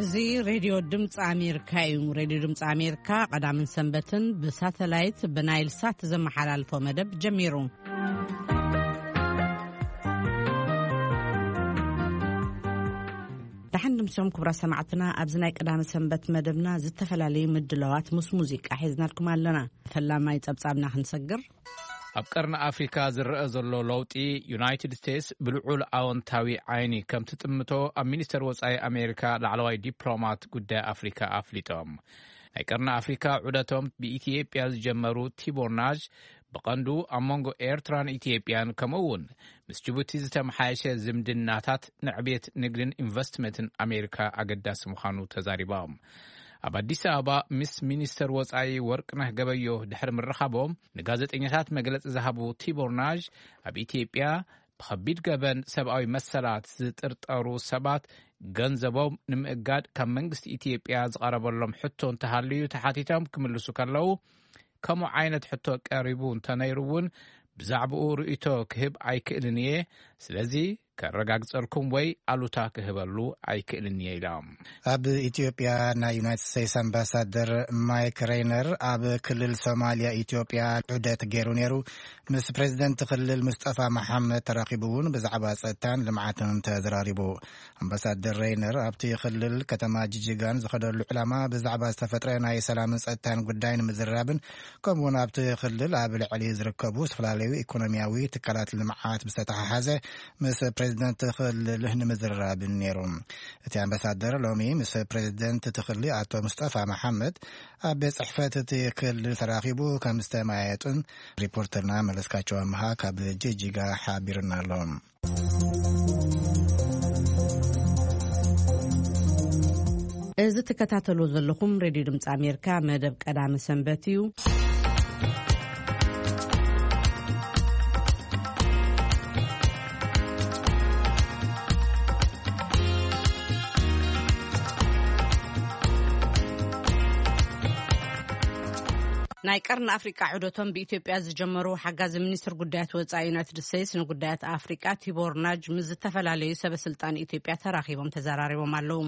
እዚ ሬድዮ ድምፂ ኣሜሪካ እዩ። ሬድዮ ድምፂ ኣሜሪካ ቀዳምን ሰንበትን ብሳተላይት ብናይል ሳት ዘመሓላልፎ መደብ ጀሚሩ። ደሓን ድምሶም ክቡራት ሰማዕትና፣ ኣብዚ ናይ ቀዳመ ሰንበት መደብና ዝተፈላለዩ ምድላዋት ምስ ሙዚቃ ሒዝናልኩም ኣለና። ፈላማይ ጸብጻብና ክንሰግር። ኣብ ቀርኒ ኣፍሪካ ዝረአ ዘሎ ለውጢ፣ ዩናይትድ ስቴትስ ብልዑል ኣወንታዊ ዓይኒ ከም ትጥምቶ ኣብ ሚኒስተር ወጻኢ ኣሜሪካ ላዕለዋይ ዲፕሎማት ጉዳይ ኣፍሪካ ኣፍሊጦም። ናይ ቀርኒ ኣፍሪካ ዑደቶም ብኢትዮጵያ ዝጀመሩ ቲቦር ናዥ፣ ብቐንዱ ኣብ መንጎ ኤርትራን ኢትዮጵያን፣ ከምኡ እውን ምስ ጅቡቲ ዝተመሓየሸ ዝምድናታት ንዕቤት ንግድን ኢንቨስትመንትን ኣሜሪካ ኣገዳሲ ምዃኑ ተዛሪቦም። ኣብ ኣዲስ ኣበባ ምስ ሚኒስተር ወጻኢ ወርቅነህ ገበዮ ድሕሪ ምርኻቦም፣ ንጋዜጠኛታት መግለጺ ዝሃቡ ቲቦር ናዥ፣ ኣብ ኢትዮጵያ ብኸቢድ ገበን ሰብኣዊ መሰላት ዝጥርጠሩ ሰባት ገንዘቦም ንምእጋድ ካብ መንግስቲ ኢትዮጵያ ዝቐረበሎም ሕቶ እንተሃልዩ ተሓቲቶም ክምልሱ ከለዉ፣ ከምኡ ዓይነት ሕቶ ቀሪቡ እንተነይሩ እውን ብዛዕባኡ ርእይቶ ክህብ ኣይክእልን እየ። ስለዚ ከረጋግጸልኩም ወይ ኣሉታ ክህበሉ ኣይክእልን እየ ኢሎም። ኣብ ኢትዮጵያ ናይ ዩናይትድ ስቴትስ ኣምባሳደር ማይክ ሬይነር ኣብ ክልል ሶማልያ ኢትዮጵያ ዑደት ገይሩ ነይሩ። ምስ ፕሬዚደንት ክልል ሙስጠፋ መሓመድ ተራኺቡ እውን ብዛዕባ ጸጥታን ልምዓትን ተዘራሪቡ። ኣምባሳደር ሬይነር ኣብቲ ክልል ከተማ ጅጅጋን ዝኸደሉ ዕላማ ብዛዕባ ዝተፈጥረ ናይ ሰላምን ጸጥታን ጉዳይ ንምዝርራብን፣ ከምኡውን ኣብቲ ክልል ኣብ ልዕሊ ዝርከቡ ዝተፈላለዩ ኢኮኖሚያዊ ትካላት ልምዓት ብዝተተሓሓዘ ምስ ፕሬዚደንት ክልል ንምዝርራብን ነይሩ። እቲ ኣምባሳደር ሎሚ ምስ ፕሬዚደንት እቲ ክልል ኣቶ ሙስጠፋ መሓመድ ኣብ ቤት ጽሕፈት እቲ ክልል ተራኺቡ ከም ዝተመያየጡን ሪፖርተርና መለስካቸው ኣምሃ ካብ ጅጅጋ ሓቢርና ኣሎ። እዚ ትከታተሉ ዘለኹም ሬድዮ ድምፂ ኣሜሪካ መደብ ቀዳመ ሰንበት እዩ። ናይ ቀርኒ ኣፍሪቃ ዑደቶም ብኢትዮጵያ ዝጀመሩ ሓጋዚ ሚኒስትር ጉዳያት ወጻኢ ዩናይትድ ስቴትስ ንጉዳያት ኣፍሪቃ ቲቦር ናጅ ምስ ዝተፈላለዩ ሰበ ስልጣን ኢትዮጵያ ተራኺቦም ተዘራሪቦም ኣለዉ።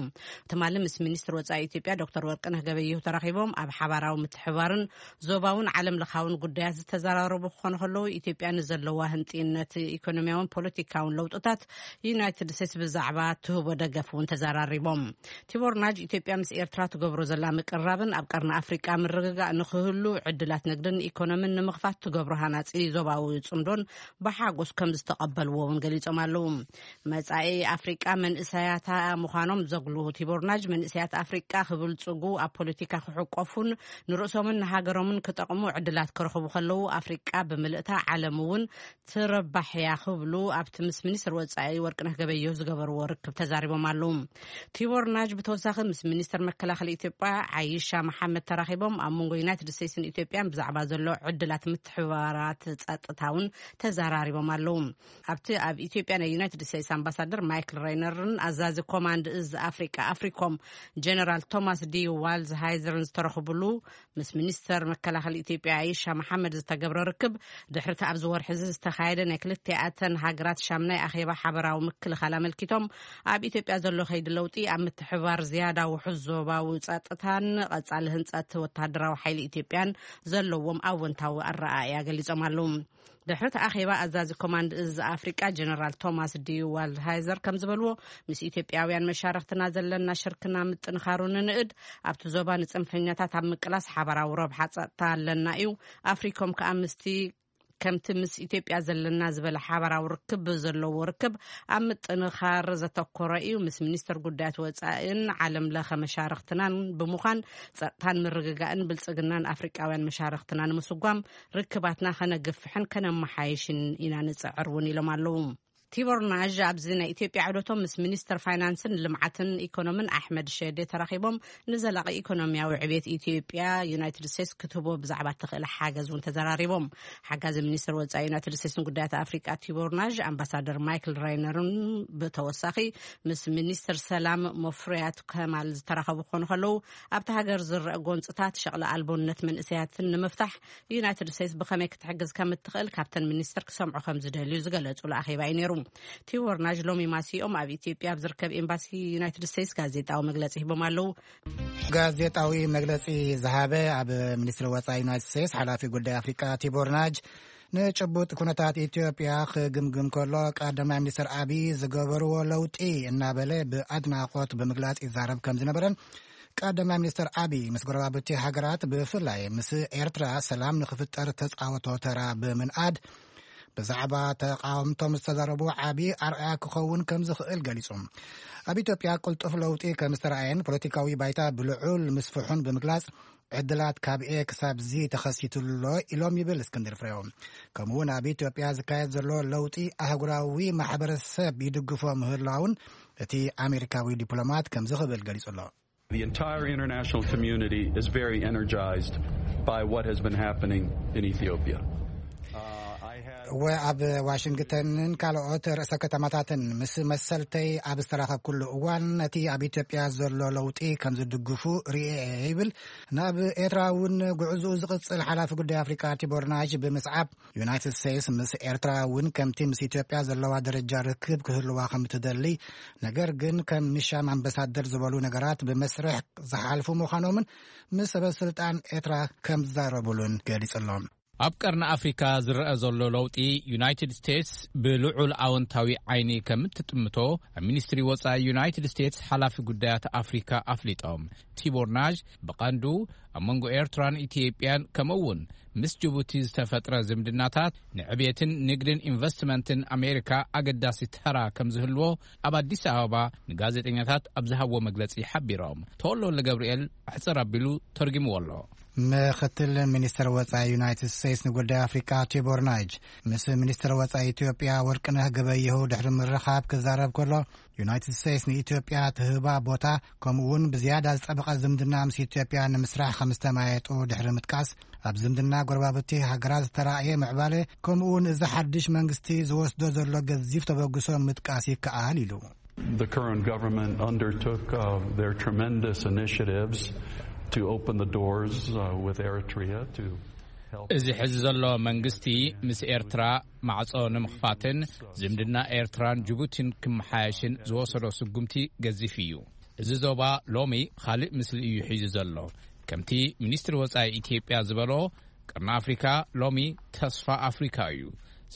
ትማሊ ምስ ሚኒስትር ወጻኢ ኢትዮጵያ ዶክተር ወርቅነህ ገበየሁ ተራኺቦም ኣብ ሓባራዊ ምትሕባርን ዞባውን ዓለም ለኻውን ጉዳያት ዝተዘራረቡ ክኾኑ ከለዉ፣ ኢትዮጵያ ንዘለዋ ህንጥይነት ኢኮኖሚያውን ፖለቲካውን ለውጥታት ዩናይትድ ስቴትስ ብዛዕባ ትህቦ ደገፍ እውን ተዘራሪቦም። ቲቦር ናጅ ኢትዮጵያ ምስ ኤርትራ ትገብሮ ዘላ ምቅርራብን ኣብ ቀርኒ ኣፍሪቃ ምርግጋእ ንክህሉ ዕድላት ንግድን ኢኮኖሚን ንምኽፋት ትገብሮ ሃናጺ ዞባዊ ጽምዶን ብሓጎስ ከም ዝተቐበልዎ እውን ገሊጾም ኣለዉ። መጻኢ ኣፍሪቃ መንእሰያታ ምዃኖም ዘጉልሁ ቲቦር ናጅ፣ መንእሰያት ኣፍሪቃ ክብልጽጉ፣ ኣብ ፖለቲካ ክሕቆፉን ንርእሶምን ንሃገሮምን ክጠቕሙ ዕድላት ክረኽቡ ከለዉ፣ ኣፍሪቃ ብምልእታ ዓለም እውን ትረባሕ እያ ክብሉ ኣብቲ ምስ ሚኒስትር ወጻኢ ወርቅነህ ገበየሁ ዝገበርዎ ርክብ ተዛሪቦም ኣለዉ። ቲቦር ናጅ ብተወሳኺ ምስ ሚኒስትር መከላኸሊ ኢትዮጵያ ዓይሻ መሓመድ ተራኺቦም ኣብ መንጎ ዩናይትድ ስቴትስን ኢትዮጵያን ብዛዕባ ዘሎ ዕድላት ምትሕብባራት ጸጥታ እውን ተዘራሪቦም ኣለዉ። ኣብቲ ኣብ ኢትዮጵያ ናይ ዩናይትድ ስቴትስ ኣምባሳደር ማይክል ሬይነርን ኣዛዚ ኮማንድ እዝ ኣፍሪቃ ኣፍሪኮም ጀነራል ቶማስ ዲ ዋልዝ ሃይዘርን ዝተረኽብሉ ምስ ሚኒስተር መከላኸሊ ኢትዮጵያ ኣይሻ መሓመድ ዝተገብረ ርክብ፣ ድሕሪ እቲ ኣብዚ ወርሒ እዚ ዝተኻየደ ናይ ክልቲኣተን ሃገራት ሻምናይ ኣኼባ ሓበራዊ ምክልኻል ኣመልኪቶም፣ ኣብ ኢትዮጵያ ዘሎ ከይዲ ለውጢ ኣብ ምትሕብባር ዝያዳ ውሑስ ዞባዊ ጸጥታን ቀጻሊ ህንጸት ወተሃደራዊ ሓይሊ ኢትዮጵያን ዘለዎም ኣወንታዊ ኣረኣእያ ገሊጾም ኣለዉ። ድሕሪ እቲ ኣኼባ፣ ኣዛዚ ኮማንድ እዝ ኣፍሪቃ ጀነራል ቶማስ ዲ ዋልድሃይዘር ከም ዝበልዎ፣ ምስ ኢትዮጵያውያን መሻርኽትና ዘለና ሽርክና ምጥንኻሩ ንንእድ፣ ኣብቲ ዞባ ንጽንፈኛታት ኣብ ምቅላስ ሓባራዊ ረብሓ ጸጥታ ኣለና እዩ። ኣፍሪኮም ከኣ ምስቲ ከምቲ ምስ ኢትዮጵያ ዘለና ዝበለ ሓባራዊ ርክብ ዘለዎ ርክብ ኣብ ምጥንኻር ዘተኮረ እዩ። ምስ ሚኒስትር ጉዳያት ወጻኢን ዓለም ለኸ መሻርኽትናን ብምዃን ጸጥታን ምርግጋእን ብልጽግናን ኣፍሪቃውያን መሻርኽትና ንምስጓም ርክባትና ከነግፍሕን ከነመሓይሽን ኢና ንጽዕር እውን ኢሎም ኣለዉ። ቲቦር ናዥ ኣብዚ ናይ ኢትዮጵያ ዑደቶም ምስ ሚኒስትር ፋይናንስን ልምዓትን ኢኮኖምን ኣሕመድ ሸዴ ተራኺቦም ንዘላቒ ኢኮኖሚያዊ ዕቤት ኢትዮጵያ ዩናይትድ ስቴትስ ክትህቦ ብዛዕባ እትኽእል ሓገዝ እውን ተዘራሪቦም። ሓጋዚ ሚኒስትር ወጻኢ ዩናይትድ ስቴትስ ንጉዳያት ኣፍሪቃ ቲቦር ናዥ ኣምባሳደር ማይክል ራይነርን ብተወሳኺ ምስ ሚኒስትር ሰላም መፍሪያት ከማል ዝተራኸቡ ክኾኑ ከለዉ፣ ኣብቲ ሃገር ዝረአ ጎንጽታት ሸቕሊ ኣልቦነት መንእሰያትን ንምፍታሕ ዩናይትድ ስቴትስ ብኸመይ ክትሕግዝ ከም እትኽእል ካብተን ሚኒስትር ክሰምዑ ከም ዝደልዩ ዝገለጹሉ ኣኼባ እዩ ነይሩ። ቲቦር ናጅ ሎሚ ማሲኦም ኣብ ኢትዮጵያ ኣብ ዝርከብ ኤምባሲ ዩናይትድ ስቴትስ ጋዜጣዊ መግለጺ ሂቦም ኣለዉ። ጋዜጣዊ መግለጺ ዝሃበ ኣብ ሚኒስትሪ ወጻኢ ዩናይትድ ስቴትስ ሓላፊ ጉዳይ ኣፍሪቃ ቲቦር ናጅ ንጭቡጥ ኩነታት ኢትዮጵያ ክግምግም ከሎ፣ ቀዳማይ ሚኒስትር ኣቢይ ዝገበርዎ ለውጢ እናበለ ብኣድናቖት ብምግላጽ ይዛረብ ከም ዝነበረን፣ ቀዳማይ ሚኒስትር ኣቢይ ምስ ጎረባብቲ ሃገራት ብፍላይ ምስ ኤርትራ ሰላም ንኽፍጠር ተጻወቶ ተራ ብምንኣድ፣ ብዛዕባ ተቃውምቶም ዝተዛረቡ ዓቢ ኣርኣያ ክኸውን ከም ዝኽእል ገሊጹ። ኣብ ኢትዮጵያ ቅልጡፍ ለውጢ ከም ዝተረኣየን ፖለቲካዊ ባይታ ብልዑል ምስፍሑን ብምግላጽ፣ ዕድላት ካብ ኤ ክሳብ ዚ ተኸሲቱሎ ኢሎም ይብል እስክንድር ፍሬው። ከምኡውን ኣብ ኢትዮጵያ ዝካየድ ዘሎ ለውጢ ኣህጉራዊ ማሕበረሰብ ይድግፎ ምህላውን እቲ ኣሜሪካዊ ዲፕሎማት ከምዚ ክብል ገሊጹ ኣሎ። The entire international community is very energized by what has been happening in Ethiopia. እወ፣ ኣብ ዋሽንግተንን ካልኦት ርእሰ ከተማታትን ምስ መሰልተይ ኣብ ዝተራኸብኩሉ እዋን፣ ነቲ ኣብ ኢትዮጵያ ዘሎ ለውጢ ከም ዝድግፉ ርእየ እየ ይብል። ናብ ኤርትራ እውን ጉዕዞኡ ዝቕጽል ሓላፊ ጉዳይ ኣፍሪቃ ቲቦር ናጅ ብምስዓብ፣ ዩናይትድ ስቴትስ ምስ ኤርትራ እውን ከምቲ ምስ ኢትዮጵያ ዘለዋ ደረጃ ርክብ ክህልዋ ከም እትደሊ፣ ነገር ግን ከም ንሻም ኣምባሳደር ዝበሉ ነገራት ብመስርሕ ዝሓልፉ ምዃኖምን ምስ ሰበ ስልጣን ኤርትራ ከም ዝዛረቡሉን ገሊጹ ኣሎ። ኣብ ቀርኒ ኣፍሪካ ዝረአ ዘሎ ለውጢ፣ ዩናይትድ ስቴትስ ብልዑል ኣወንታዊ ዓይኒ ከም እትጥምቶ ኣብ ሚኒስትሪ ወጻኢ ዩናይትድ ስቴትስ ሓላፊ ጉዳያት ኣፍሪካ ኣፍሊጦም። ቲቦር ናዥ ብቐንዱ ኣብ መንጎ ኤርትራን ኢትዮጵያን፣ ከምኡ እውን ምስ ጅቡቲ ዝተፈጥረ ዝምድናታት ንዕብየትን ንግድን ኢንቨስትመንትን ኣሜሪካ ኣገዳሲ ተራ ከም ዝህልዎ ኣብ ኣዲስ ኣበባ ንጋዜጠኛታት ኣብ ዝሃብዎ መግለጺ ሓቢሮም። ተወልደ ገብርኤል ኣሕጽር ኣቢሉ ተርጉምዎ ኣሎ። ምክትል ሚኒስትር ወጻኢ ዩናይትድ ስቴትስ ንጉዳይ ኣፍሪቃ ቲቦር ናጅ ምስ ሚኒስትር ወጻኢ ኢትዮጵያ ወርቅነህ ገበየሁ ድሕሪ ምርኻብ ክዛረብ ከሎ፣ ዩናይትድ ስቴትስ ንኢትዮጵያ ትህባ ቦታ፣ ከምኡ እውን ብዝያዳ ዝጠበቐ ዝምድና ምስ ኢትዮጵያ ንምስራሕ ከም ዝተማየጡ ድሕሪ ምጥቃስ፣ ኣብ ዝምድና ጎረባብቲ ሃገራት ዝተራእየ ምዕባለ፣ ከምኡ እውን እዚ ሓድሽ መንግስቲ ዝወስዶ ዘሎ ገዚፍ ተበግሶ ምጥቃስ ይከኣል ኢሉ። The current government undertook uh, their tremendous initiatives to open the doors uh, with Eritrea to help. እዚ ሕዚ ዘሎ መንግስቲ ምስ ኤርትራ ማዕጾ ንምኽፋትን ዝምድና ኤርትራን ጅቡቲን ክመሓየሽን ዝወሰዶ ስጉምቲ ገዚፍ እዩ። እዚ ዞባ ሎሚ ካልእ ምስሊ እዩ ሒዙ ዘሎ። ከምቲ ሚኒስትሪ ወጻኢ ኢትዮጵያ ዝበሎ፣ ቀርኒ ኣፍሪካ ሎሚ ተስፋ ኣፍሪካ እዩ።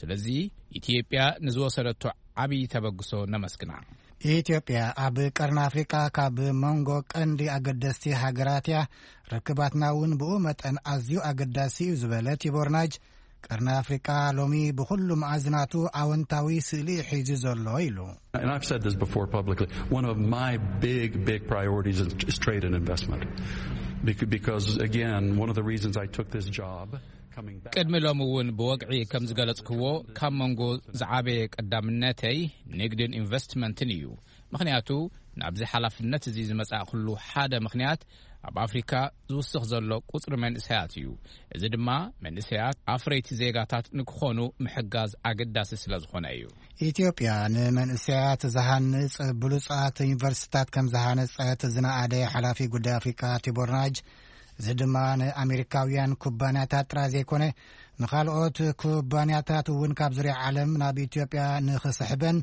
ስለዚ ኢትዮጵያ ንዝወሰደቶ ዓብዪ ተበግሶ ነመስግና። ኢትዮጵያ ኣብ ቀርኒ ኣፍሪቃ ካብ መንጎ ቀንዲ ኣገደስቲ ሃገራት እያ። ርክባትና እውን ብኡ መጠን ኣዝዩ ኣገዳሲ እዩ ዝበለ ቲቦር ናጅ፣ ቀርኒ ኣፍሪቃ ሎሚ ብኹሉ መኣዝናቱ ኣወንታዊ ስእሊ ሒዙ ዘሎ ኢሉ። And I've said this before publicly. One of my big, big priorities is, is trade and investment. Bec- Because, again, one of the reasons I took this job, coming back. ቅድሚ ሎሚ እውን ብወግዒ ከም ዝገለጽክዎ፣ ካብ መንጎ ዝዓበየ ቀዳምነተይ ንግድን ኢንቨስትመንትን እዩ። ምኽንያቱ ናብዚ ሓላፍነት እዚ ዝመጻእኩሉ ሓደ ምኽንያት ኣብ ኣፍሪካ ዝውስኽ ዘሎ ቁጽሪ መንእሰያት እዩ። እዚ ድማ መንእሰያት ኣፍረይቲ ዜጋታት ንክኾኑ ምሕጋዝ ኣገዳሲ ስለ ዝኾነ እዩ። ኢትዮጵያ ንመንእሰያት ዝሃንጽ ብሉጻት ዩኒቨርሲታት ከም ዝሃነጸት ዝነኣደ ሓላፊ ጉዳይ ኣፍሪካ ቲቦር ናጅ፣ እዚ ድማ ንኣሜሪካውያን ኩባንያታት ጥራይ ዘይኮነ፣ ንኻልኦት ኩባንያታት እውን ካብ ዙርያ ዓለም ናብ ኢትዮጵያ ንኽስሕበን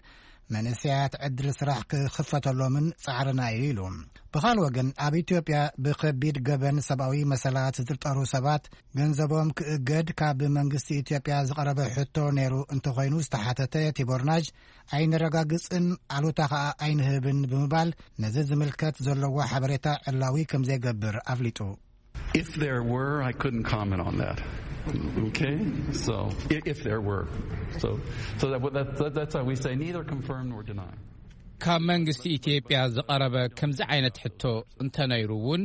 መንእሰያት ዕድል ስራሕ ክኽፈተሎምን ጻዕርና እዩ ኢሉ። ብኻል ወገን፣ ኣብ ኢትዮጵያ ብኸቢድ ገበን ሰብኣዊ መሰላት ዝጥርጠሩ ሰባት ገንዘቦም ክእገድ ካብ መንግስቲ ኢትዮጵያ ዝቐረበ ሕቶ ነይሩ እንተኾይኑ ዝተሓተተ ቲቦር ናጅ፣ ኣይነረጋግጽን፣ ኣሉታ ኸኣ ኣይንህብን ብምባል፣ ነዚ ዝምልከት ዘለዎ ሓበሬታ ዕላዊ ከም ዘይገብር ኣፍሊጡ። If there were, I couldn't comment on that. Okay? So, i- if there were. So, so that, that, that, that's how we say neither confirm nor deny. ካብ መንግስቲ ኢትዮጵያ ዝቐረበ ከምዚ ዓይነት ሕቶ እንተነይሩ እውን፣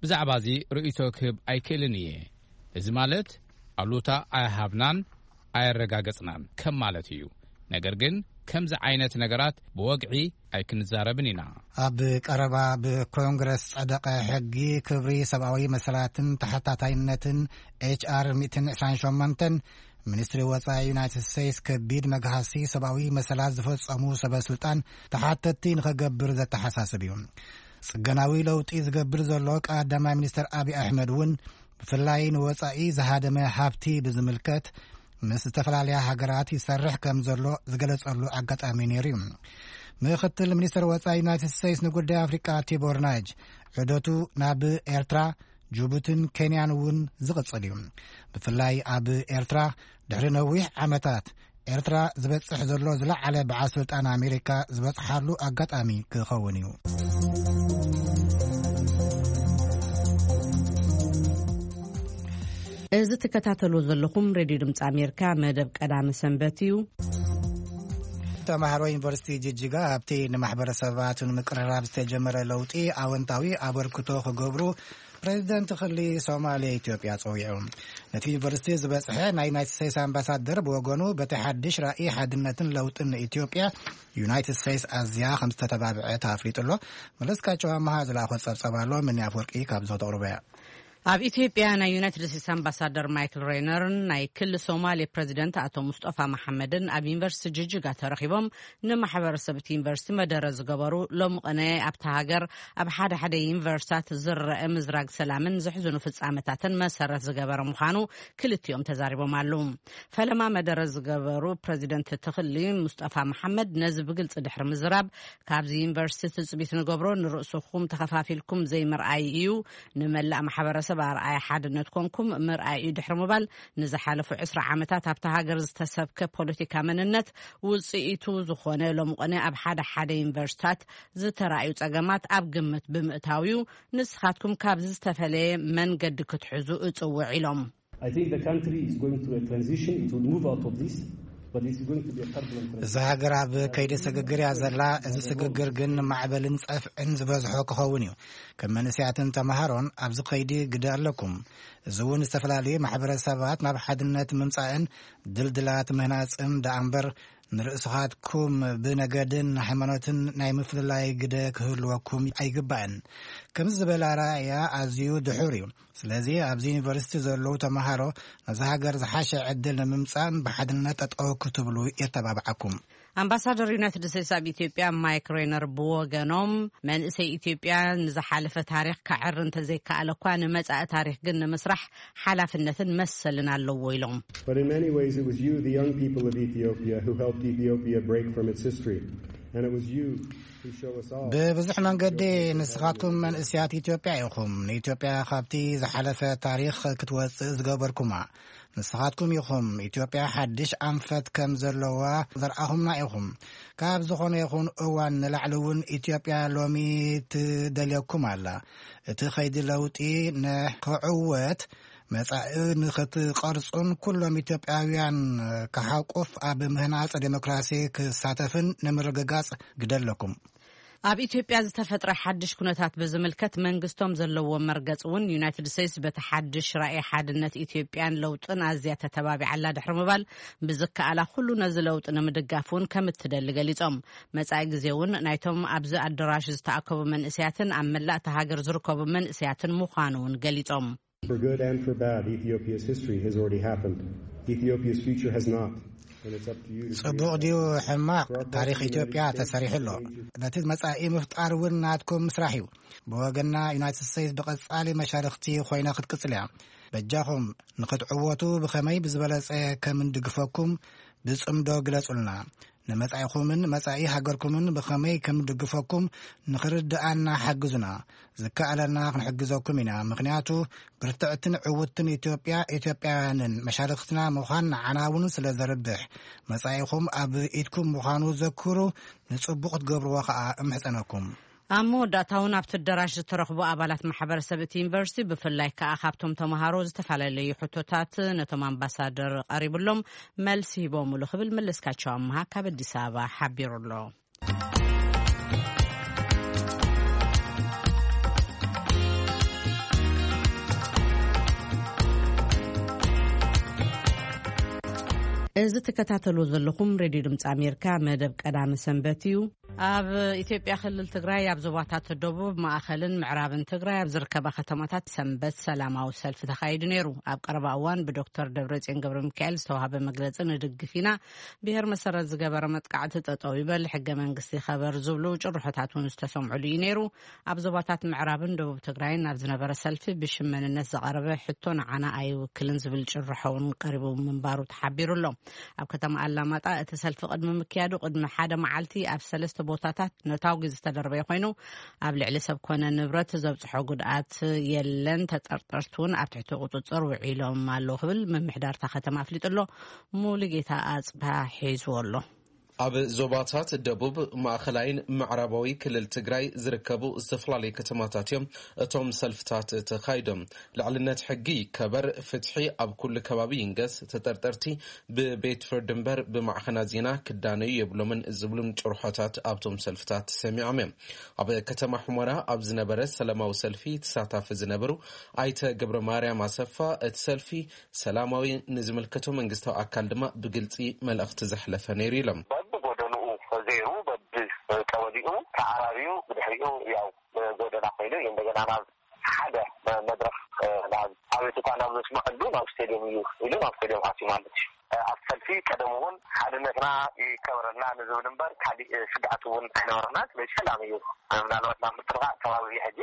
ብዛዕባ እዚ ርእይቶ ክህብ ኣይክእልን እየ። እዚ ማለት ኣሉታ ኣይሃብናን ኣየረጋገጽናን ከም ማለት እዩ። ነገር ግን ከምዚ ዓይነት ነገራት ብወግዒ ኣይክንዛረብን ኢና። ኣብ ቀረባ ብኮንግረስ ጸደቐ ሕጊ ክብሪ ሰብኣዊ መሰላትን ተሓታታይነትን ኤች ኣር ሚእትን ዕስራን ሸሞንተን፣ ሚኒስትሪ ወጻኢ ዩናይትድ ስቴትስ ከቢድ መግሃሲ ሰብኣዊ መሰላት ዝፈጸሙ ሰበ ስልጣን ተሓተትቲ ንኸገብር ዘተሓሳስብ እዩ። ጽገናዊ ለውጢ ዝገብር ዘሎ ቀዳማይ ሚኒስትር ኣብይ ኣሕመድ እውን፣ ብፍላይ ንወጻኢ ዝሃደመ ሃብቲ ብዝምልከት፣ ምስ ዝተፈላለያ ሃገራት ይሰርሕ ከም ዘሎ ዝገለጸሉ ኣጋጣሚ ነይሩ እዩ። ምክትል ሚኒስትር ወጻኢ ዩናይትድ ስቴትስ ንጉዳይ ኣፍሪቃ ቲቦር ናጅ ዑደቱ ናብ ኤርትራ፣ ጅቡትን ኬንያን እውን ዝቕጽል እዩ። ብፍላይ ኣብ ኤርትራ ድሕሪ ነዊሕ ዓመታት ኤርትራ ዝበጽሕ ዘሎ ዝለዓለ በዓል ስልጣን ኣሜሪካ ዝበጽሓሉ ኣጋጣሚ ክኸውን እዩ። እዚ ትከታተሉ ዘለኹም ሬድዮ ድምፂ ኣሜሪካ መደብ ቀዳሚ ሰንበት እዩ። ተማሃሮ ዩኒቨርሲቲ ጅጅጋ ኣብቲ ንማሕበረሰባቱ ንምቅርራብ ዝተጀመረ ለውጢ ኣወንታዊ ኣበርክቶ ክገብሩ ፕሬዚደንት ክሊ ሶማሌ ኢትዮጵያ ጸዊዑ። ነቲ ዩኒቨርሲቲ ዝበጽሐ ናይ ዩናይትድ ስቴትስ ኣምባሳደር ብወገኑ በቲ ሓድሽ ራእይ ሓድነትን ለውጥን ንኢትዮጵያ ዩናይትድ ስቴትስ ኣዝያ ከም ዝተተባብዐት ኣፍሊጡ ኣሎ። መለስካቸው ኣመሃ ዝለኣኾ ጸብጸብ ኣሎ። ምን ኣፍወርቂ ካብ ዞ ተቕርቦ እያ። ኣብ ኢትዮጵያ ናይ ዩናይትድ ስቴትስ ኣምባሳደር ማይክል ሬነርን ናይ ክሊ ሶማሌ ፕሬዚደንት ኣቶ ሙስጠፋ መሓመድን ኣብ ዩኒቨርሲቲ ጅጅጋ ተረኺቦም ንማሕበረሰብ እቲ ዩኒቨርሲቲ መደረ ዝገበሩ፣ ሎሚ ቅነ ኣብታ ሃገር ኣብ ሓደ ሓደ ዩኒቨርሲታት ዝረአ ምዝራግ ሰላምን ዘሕዝኑ ፍጻመታትን መሰረት ዝገበረ ምዃኑ ክልቲኦም ተዛሪቦም ኣለዉ። ፈለማ መደረ ዝገበሩ ፕሬዚደንት እቲ ክሊ ሙስጠፋ መሓመድ ነዚ ብግልጺ ድሕሪ ምዝራብ፣ ካብዚ ዩኒቨርሲቲ ትጽቢት ንገብሮ ንርእስኹም ተኸፋፊልኩም ዘይምርኣይ እዩ፣ ንመላእ ማሕበረሰብ ኣርኣያ ሓድነት ኮንኩም ምርኣይ እዩ ድሕሪ ምባል፣ ንዝሓለፉ ዕስራ ዓመታት ኣብታ ሃገር ዝተሰብከ ፖለቲካ መንነት ውጽኢቱ ዝኾነ ሎምቕነ ኣብ ሓደ ሓደ ዩኒቨርሲታት ዝተራእዩ ጸገማት ኣብ ግምት ብምእታው እዩ። ንስኻትኩም ካብዚ ዝተፈለየ መንገዲ ክትሕዙ እጽውዕ ኢሎም። I think the country is going through a transition. It will move out of this, but it's going to be a turbulent transition. እዛ ሃገር ኣብ ከይዲ ስግግር እያ ዘላ። እዚ ስግግር ግን ማዕበልን ጸፍዕን ዝበዝሖ ክኸውን እዩ። ከም መንእሰያትን ተምሃሮን ኣብዚ ከይዲ ግደ ኣለኩም። እዚ እውን ዝተፈላለዩ ማሕበረሰባት ናብ ሓድነት ምምጻእን ድልድላት ምህናጽን ደኣ እምበር፣ ንርእስኻትኩም ብነገድን ሃይማኖትን ናይ ምፍልላይ ግደ ክህልወኩም ኣይግባእን። ከምዚ ዝበለ ኣረኣእያ ኣዝዩ ድሑር እዩ። ስለዚ ኣብዚ ዩኒቨርሲቲ ዘለዉ ተምሃሮ ነዚ ሃገር ዝሓሸ ዕድል ንምምጻእን ብሓድነት ጠጠው ክትብሉ የተባብዓኩም። ኣምባሳደር ዩናይትድ ስቴትስ ኣብ ኢትዮጵያ ማይክ ሬነር ብወገኖም፣ መንእሰይ ኢትዮጵያ ንዝሓለፈ ታሪኽ ከዕሪ እንተዘይከኣለ እኳ፣ ንመጻኢ ታሪኽ ግን ንምስራሕ ሓላፍነትን መሰልን ኣለዎ ኢሎም። But in many ways, it was you, the young people of Ethiopia, who helped Ethiopia break from its history. And it was you who show us all. ብብዙሕ መንገዲ ንስኻትኩም መንእሰያት ኢትዮጵያ ኢኹም። ንኢትዮጵያ ካብቲ ዝሓለፈ ታሪኽ ክትወጽእ ዝገበርኩማ ንስኻትኩም ኢኹም። ኢትዮጵያ ሓድሽ ኣንፈት ከም ዘለዋ ዘርኣኹምና ኢኹም። ካብ ዝኾነ ይኹን እዋን ንላዕሊ እውን ኢትዮጵያ ሎሚ ትደልየኩም ኣላ። እቲ ኸይዲ ለውጢ ንክዕወት መጻኢ ንኽትቐርጹን ኩሎም ኢትዮጵያውያን ክሓቁፍ ኣብ ምህናጽ ዴሞክራሲ ክሳተፍን ንምርግጋጽ ግደ ኣለኩም። ኣብ ኢትዮጵያ ዝተፈጥረ ሓድሽ ኩነታት ብዝምልከት መንግስቶም ዘለዎ መርገጽ እውን ዩናይትድ ስቴትስ በቲ ሓድሽ ራእይ ሓድነት ኢትዮጵያን ለውጥን ኣዝያ ተተባቢዓላ ድሕሪ ምባል ብዝከኣላ ኩሉ ነዚ ለውጢ ንምድጋፍ እውን ከም እትደሊ ገሊጾም። መጻኢ ግዜ እውን ናይቶም ኣብዚ ኣደራሽ ዝተኣከቡ መንእሰያትን ኣብ መላእ እታ ሃገር ዝርከቡ መንእሰያትን ምዃኑ እውን ገሊጾም። For good and for bad, Ethiopia's history has already happened. Ethiopia's future has not. And it's up to you to ጽቡቕ ድዩ ሕማቕ፣ ታሪኽ ኢትዮጵያ ተሰሪሑ ኣሎ። ነቲ መጻኢ ምፍጣር እውን ናትኩም ስራሕ እዩ። ብወገንና ዩናይትድ ስቴትስ ብቐጻሊ መሻርኽቲ ኮይና ክትቅጽል እያ። በጃኹም ንኽትዕወቱ ብኸመይ ብዝበለጸ ከም እንድግፈኩም ብጽምዶ ግለጹልና። ንመጻኢኹምን መጻኢ ሃገርኩምን ብኸመይ ከም ድግፈኩም ንኽርድኣና ሓግዙና። ዝከኣለና ክንሕግዘኩም ኢና። ምኽንያቱ ብርትዕትን ዕውትን ኢትዮጵያ፣ ኢትዮጵያውያንን መሻርኽትና ምዃን ንዓና እውን ስለ ዘርብሕ፣ መጻኢኹም ኣብ ኢድኩም ምዃኑ ዘክሩ። ንጽቡቕ ክትገብርዎ ኸኣ እምሕጸነኩም። ኣብ መወዳእታ እውን ኣብቲ ኣደራሽ ዝተረኽቡ ኣባላት ማሕበረሰብ እቲ ዩኒቨርሲቲ፣ ብፍላይ ከኣ ካብቶም ተምሃሮ ዝተፈላለዩ ሕቶታት ነቶም ኣምባሳደር ቀሪብሎም መልሲ ሂቦምሉ ክብል መለስካቸው ኣምሃ ካብ ኣዲስ ኣበባ ሓቢሩ ኣሎ። እዚ ትከታተሉ ዘለኹም ሬድዮ ድምፂ ኣሜሪካ መደብ ቀዳሚ ሰንበት እዩ። ኣብ ኢትዮጵያ ክልል ትግራይ ኣብ ዞባታት ደቡብ፣ ማእኸልን ምዕራብን ትግራይ ኣብ ዝርከባ ከተማታት ሰንበት ሰላማዊ ሰልፊ ተኻይዱ ነይሩ። ኣብ ቀረባ እዋን ብዶክተር ደብረጽዮን ገብረ ሚካኤል ዝተዋሃበ መግለጺ፣ ንድግፍ ኢና፣ ብሄር መሰረት ዝገበረ መጥቃዕቲ ጠጠው ይበል፣ ሕገ መንግስቲ ይኸበር ዝብሉ ጭርሖታት እውን ዝተሰምዑሉ እዩ ነይሩ። ኣብ ዞባታት ምዕራብን ደቡብ ትግራይን ኣብ ዝነበረ ሰልፊ ብሽም መንነት ዝቐረበ ሕቶ ንዓና ኣይውክልን ዝብል ጭርሖ እውን ቀሪቡ ምንባሩ ተሓቢሩ ኣሎ። ኣብ ከተማ ኣላማጣ እቲ ሰልፊ ቅድሚ ምክያዱ ቅድሚ ሓደ መዓልቲ ኣብ ሰለስተ ቦታታት ነታጒ ዝተደርበየ ኮይኑ፣ ኣብ ልዕሊ ሰብ ኮነ ንብረት ዘብፅሖ ጉድኣት የለን፣ ተጠርጠርቲ እውን ኣብ ትሕቲ ቁፅፅር ውዒሎም ኣለዉ ክብል ምምሕዳር እታ ከተማ ኣፍሊጡ ኣሎ። ሙሉጌታ ኣፅብሃ ሒዝዎ ኣሎ። ኣብ ዞባታት ደቡብ፣ ማእኸላይን ምዕራባዊ ክልል ትግራይ ዝርከቡ ዝተፈላለዩ ከተማታት እዮም እቶም ሰልፍታት ተኻይዶም። ልዕልነት ሕጊ ይከበር፣ ፍትሒ ኣብ ኩሉ ከባቢ ይንገስ፣ ተጠርጠርቲ ብቤት ፍርዲ እምበር ብማዕኸናት ዜና ክዳነዩ የብሎምን ዝብሉን ጭርሖታት ኣብቶም ሰልፍታት ተሰሚዖም እዮም። ኣብ ከተማ ሑመራ ኣብ ዝነበረ ሰላማዊ ሰልፊ ተሳታፊ ዝነበሩ ኣይተ ገብረ ማርያም ኣሰፋ፣ እቲ ሰልፊ ሰላማዊ፣ ንዝምልከቶ መንግስታዊ ኣካል ድማ ብግልፂ መልእኽቲ ዘሕለፈ ነይሩ ኢሎም። በብጎደንኡ ዘይሩ በብቀበሊኡ ተዓራርዩ ብድሕሪኡ ያው ጎደና ኮይኑ እዩ እንደገና ናብ ሓደ መድረኽ ናብ ኣቤቱታ ናብ ዘስምዐሉ ናብ ስቴዲየም እዩ ኢሉ ናብ ስቴዲየም ኣትዩ ማለት እዩ። ኣብ ሰልፊ ቀደም እውን ሓድነትና ይከበረልና ንዝብል እምበር ካሊእ ስግኣት እውን ኣይነበረና። ስለዚ ሰላም እዩ። ምናልባት ናብ ምጥርቃ ከባቢ ሕጂ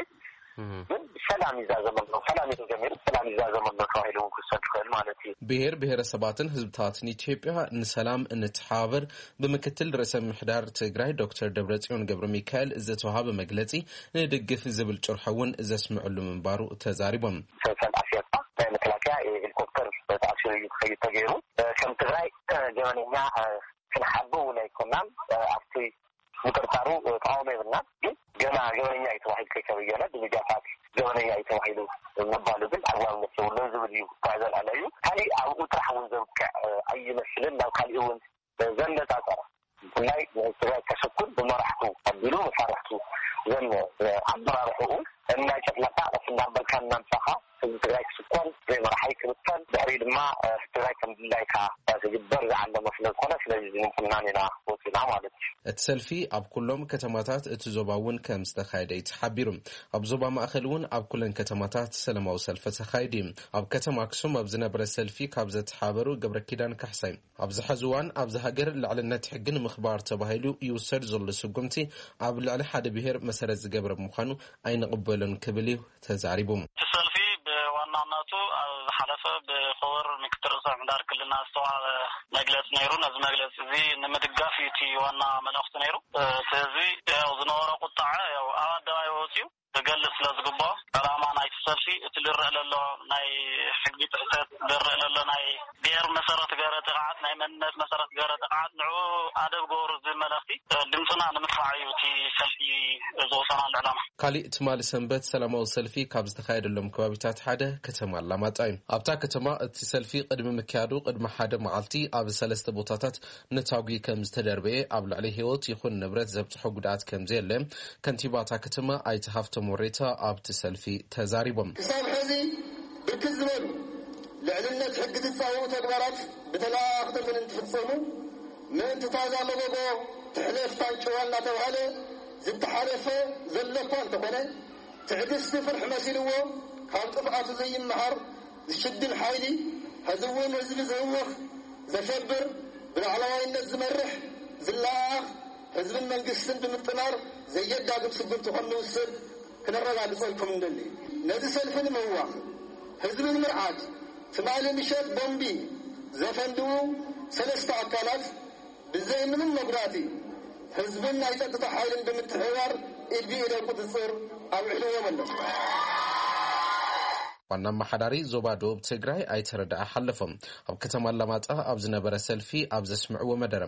ግን ሰላም ይዛዘመሎ፣ ሰላም እዩ ተጀሚሩ፣ ሰላም ይዛዘመሎ ተባሂሉ እውን ክሰድ ይኽእል ማለት እዩ። ብሔር ብሔረሰባትን ህዝብታትን ኢትዮጵያ ንሰላም እንተሓባበር ብምክትል ርእሰ ምሕዳር ትግራይ ዶክተር ደብረጽዮን ገብረ ሚካኤል ዝተዋሃበ መግለጺ ንድግፍ ዝብል ጭርሖ እውን ዘስምዕሉ ምንባሩ ተዛሪቦም። ሰልሰል ኣስያታ ናይ መከላከያ ሄሊኮፕተር ተኣሲሩ እዩ ክኸይድ ተገይሩ። ከም ትግራይ ገበነኛ ክንሓቦ እውን ኣይኮናን። ኣብቲ ምጥርጣሩ ተቃውሞ የብልናን። ግን ገና ገበነኛ እዩ ተባሂሉ ከይተበየነ ብሚድያታት ገበነኛ እዩ ተባሂሉ ምባሉ ግን ኣግባብነት የብሉን ዝብል እዩ። እኳ ዘልዓለ እዩ። ካሊእ ኣብኡ ጥራሕ እውን ዘብቅዕ ኣይመስልን። ናብ ካሊእ እውን ዘነጻጸረ ብፍላይ ንትግራይ ከሰኩን ብመራሕቱ ኣቢሉ መሳርሕቱ ዘን ኣመራርሕኡ እናጨፍለካ ቀስ እናበልካ እናምጻኻ ህዝቢ ትግራይ ክስኮን፣ ዘይመራሓይ ክብተን፣ ድሕሪ ድማ ትግራይ ከም ድላይካ ክግበር ዝዓለመ ስለ ዝኾነ ስለዚ ዝምንኩናን ኢና ወፂና ማለት እዩ። እቲ ሰልፊ ኣብ ኩሎም ከተማታት እቲ ዞባ እውን ከም ዝተኻየደ እዩ ተሓቢሩ። ኣብ ዞባ ማእኸል እውን ኣብ ኩለን ከተማታት ሰላማዊ ሰልፊ ተኻይዱ እዩ። ኣብ ከተማ ኣክሱም ኣብ ዝነበረ ሰልፊ ካብ ዘተሓበሩ ገብረ ኪዳን ካሕሳይ ኣብዚ ሐዚ እዋን ኣብዚ ሃገር ልዕልነት ሕጊ ንምኽባር ተባሂሉ ይውሰድ ዘሎ ስጉምቲ ኣብ ልዕሊ ሓደ ብሔር መሰረት ዝገበረ ብምዃኑ ኣይንቕበሎን ክብል እዩ ተዛሪቡ። እቲ ሰልፊ ብዋናነቱ ኣብ ዝሓለፈ ብኽቡር ምክትል ርእሰ ምሕዳር ክልልና ዝተዋሃበ መግለፂ ነይሩ። ነዚ መግለፂ እዚ ንምድጋፍ እዩ እቲ ዋና መልእኽቲ ነይሩ። እቲ ህዝቢ ያው ዝነበሮ ቁጣዐ ያው ኣብ ኣደባባይ ወፂኡ ክገልፅ ስለ ዝግብኦ ዕላማ ናይቲ ሰልፊ እቲ ዝረአ ዘሎ ናይ ሕጊ ጥሕሰት ዝረአ ዘሎ ናይ ብሔር መሰረት ገረ ጥቕዓት ናይ መንነት መሰረት ገረ ጥቕዓት ንዕኡ ኣደብ ገበሩ ዝብል መልእኽቲ ድምፅና ንምድፋዕ እዩ እቲ ሰልፊ ዝወፀናሉ ዕላማ። ካሊእ ትማሊ ሰንበት ሰላማዊ ሰልፊ ካብ ዝተኻየደሎም ከባቢታት ሓደ ከተማ ኣላማጣ እዩ። ኣብታ ከተማ እቲ ሰልፊ ቅድሚ ምክያዱ ቅድሚ ሓደ መዓልቲ ኣብ ሰለስተ ቦታታት ነታጒ ከም ዝተደርበየ ኣብ ልዕሊ ህይወት ይኹን ንብረት ዘብፅሖ ጉድኣት ከም ዘየለ ከንቲባ እታ ከተማ ኣይተ ሃፍቶም ወሬታ ኣብቲ ሰልፊ ተዛሪቦም። ክሳብ ሕዚ ብርክት ዝበሉ ልዕልነት ሕጊ ዝፃወሩ ተግባራት ብተለኣኣኽቲ እንትፍፀሙ ምእንቲ ታዛ መጎጎ ትሕለፍ ታንጭዋ እናተባህለ ዝተሓለፈ ዘሎ እኳ እንተኾነ ትዕግስቲ ፍርሒ መሲልዎ ካብ ጥፍኣቱ ዘይመሃር ዝሽድን ሓይሊ፣ ሕዚ እውን ህዝቢ ዝህውኽ፣ ዘሸብር፣ ብላዕለዋይነት ዝመርሕ፣ ዝለኣኣኽ፣ ህዝብን መንግስትን ብምጥማር ዘየዳግም ስጉምቲ ከም ንውስድ ክነረጋግጸልኩም እንደሊ። ነዚ ሰልፊ ንምህዋኽ፣ ህዝቢ ንምርዓድ፣ ትማሊ ምሸት ቦምቢ ዘፈንድዉ ሰለስተ ኣካላት ብዘይ ምንም መጉዳእቲ ህዝብን ናይ ጸጥታ ሓይልን ብምትሕብባር ኢድ ብኢድ ኣብ ቁጽጽር ኣውዒልዎም ኣለዉ። ዋና ኣመሓዳሪ ዞባ ደቡብ ትግራይ ኣይተ ረዳኢ ሓለፎም ኣብ ከተማ ኣላማጣ ኣብ ዝነበረ ሰልፊ ኣብ ዘስምዕዎ መደረ፣